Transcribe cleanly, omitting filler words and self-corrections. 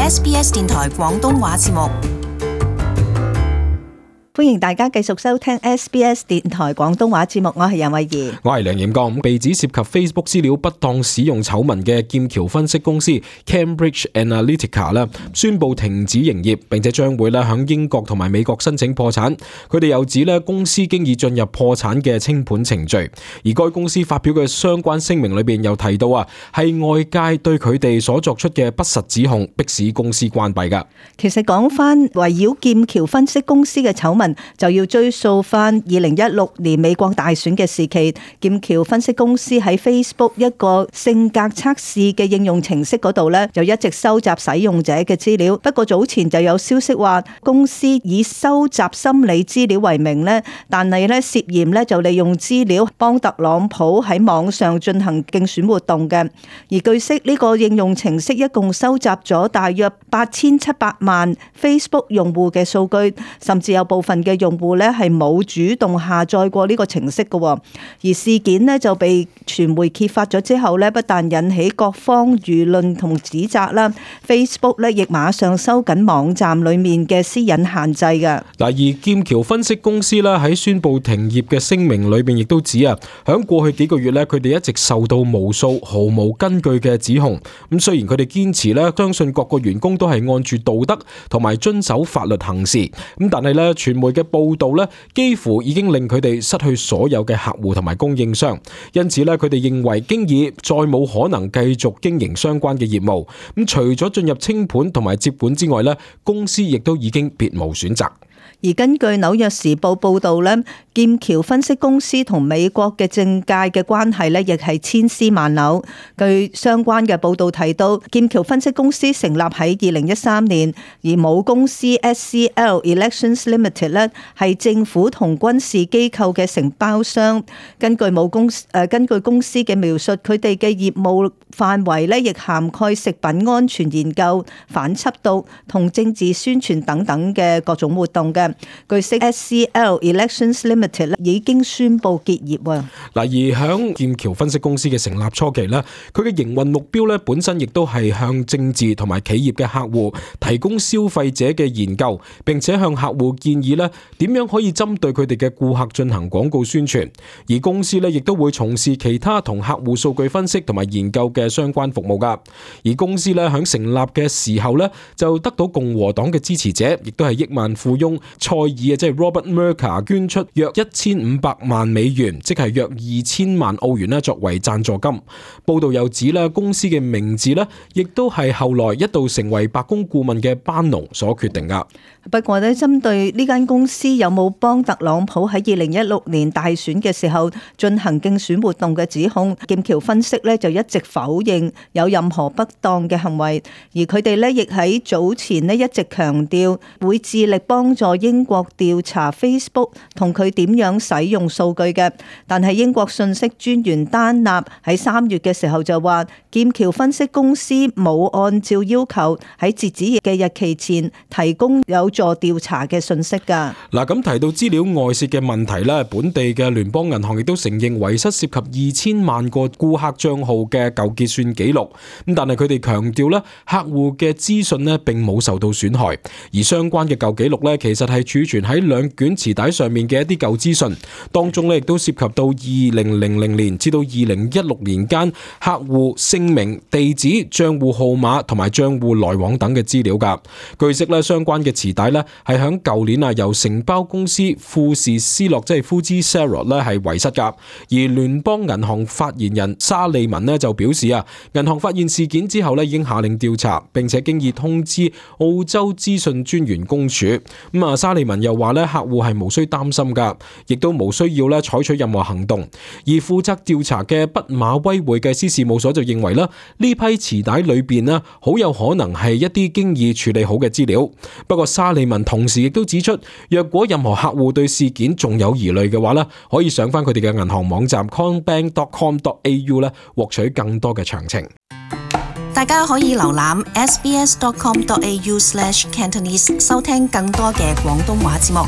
SBS 電台廣東話節目。歡迎大家繼續收聽 SBS 電台廣東話節目，我係任慧儀，我係梁彥剛。被指涉及 Facebook 資料不當使用醜聞嘅劍橋分析公司 Cambridge Analytica 咧，宣布停止營業，並且將會咧響英國同埋美國申請破產。佢哋又指咧公司經已進入破產嘅清盤程序，而該公司發表嘅相關聲明裏邊又提到係外界對佢哋所作出嘅不實指控，迫使公司關閉噶。其實講翻圍繞劍橋分析公司嘅醜聞，就要追溯翻2016年美國大選嘅時期，劍橋分析公司喺 Facebook 一個性格測試嘅應用程式嗰度咧，就一直收集使用者嘅資料。不過早前就有消息話，公司以收集心理資料為名咧，但係咧涉嫌咧就利用資料幫特朗普喺網上進行競選活動嘅。而據悉呢個應用程式一共收集咗大約8700萬 Facebook 用戶嘅數據，甚至有部分嘅用戶咧係冇主動下載過呢個程式嘅。而事件咧就被傳媒揭發咗之後咧，不但引起各方輿論同指責啦， Facebook 咧亦馬上收緊網站裡面嘅私隱限制嘅。嗱，而劍橋分析公司咧喺宣布停業嘅聲明裏邊亦都指響過去幾個月咧，佢哋一直受到無數毫無根據嘅指控。咁雖然佢哋堅持咧，相信各個員工都係按住道德同埋遵守法律行事，咁但係咧傳媒嘅報道咧，幾乎已經令佢哋失去所有嘅客戶同埋供應商，因此咧，佢哋認為經已再冇可能繼續經營相關嘅業務。咁除咗進入清盤同埋接管之外咧，公司亦都已經別無選擇。而根據紐約時報報導咧，劍橋分析公司同美國嘅政界嘅關係咧，亦係千絲萬縷。據相關嘅報導提到，劍橋分析公司成立喺2013年，而母公司 SCL Elections Limited 咧係政府同軍事機構嘅承包商。根據公司嘅描述，佢哋嘅業務範圍咧亦涵蓋食品安全研究、反緝毒同政治宣傳等等嘅各種活動嘅。據悉 SCL Elections Limited 已經宣布結業。嗱，而響劍橋分析公司嘅成立初期咧，佢嘅營運目標咧本身亦都係向政治同埋企業嘅客戶提供消費者嘅研究，並且向客戶建議咧點樣可以針對佢哋嘅顧客進行廣告宣傳。而公司咧亦都會從事其他同客戶數據分析同埋研究嘅相關服務噶。而公司咧響成立嘅時候咧就得到共和黨嘅支持者，亦都係億萬富翁蔡爾即係 Robert Mercer 捐出約1500萬美元，即係約2000萬澳元作為贊助金。報道又指公司嘅名字亦都係後來一度成為白宮顧問嘅班農所決定噶。不過咧，針對呢間公司有冇幫特朗普喺2016年大選嘅時候進行競選活動嘅指控，劍橋分析就一直否認有任何不當嘅行為，而佢哋亦喺早前一直強調會致力幫助英國調查 Facebook 同佢點樣使用數據嘅。但係英國信息專員丹納喺3月嘅時候就話，劍橋分析公司冇按照要求喺截止嘅日期前提供有助調查嘅信息㗎。嗱，咁提到資料外泄嘅問題咧，本地嘅聯邦銀行亦都承認遺失涉及2000萬個顧客賬號嘅舊結算記錄。咁但係佢哋強調咧，客戶嘅資訊咧並冇受到損害，而相關嘅舊記錄咧其實係儲存喺2卷磁帶上面嘅一啲舊資訊，當中咧亦都涉及到2000年至到2016年間客戶姓名、地址、賬戶號碼同埋賬戶來往等嘅資料㗎。據悉咧，相關嘅磁帶咧係響舊年由承包公司富士斯諾即係 Fuji Xerox 咧係遺失㗎。而聯邦銀行發言人沙利文就表示銀行發現事件之後咧已經下令調查，並且經已通知澳洲資訊專員公署。沙利文又話咧，客戶係無需擔心㗎，亦都無需要咧採取任何行動。而負責調查嘅畢馬威會計師事務所就認為呢批磁帶裏邊好有可能係一啲經已處理好嘅資料。不過沙利文同時亦都指出，若果任何客戶對事件仲有疑慮嘅話可以上翻佢哋嘅銀行網站 combank.com.au 獲取更多嘅詳情。大家可以瀏覽 sbs.com.au/cantonese 收聽更多嘅廣東話節目。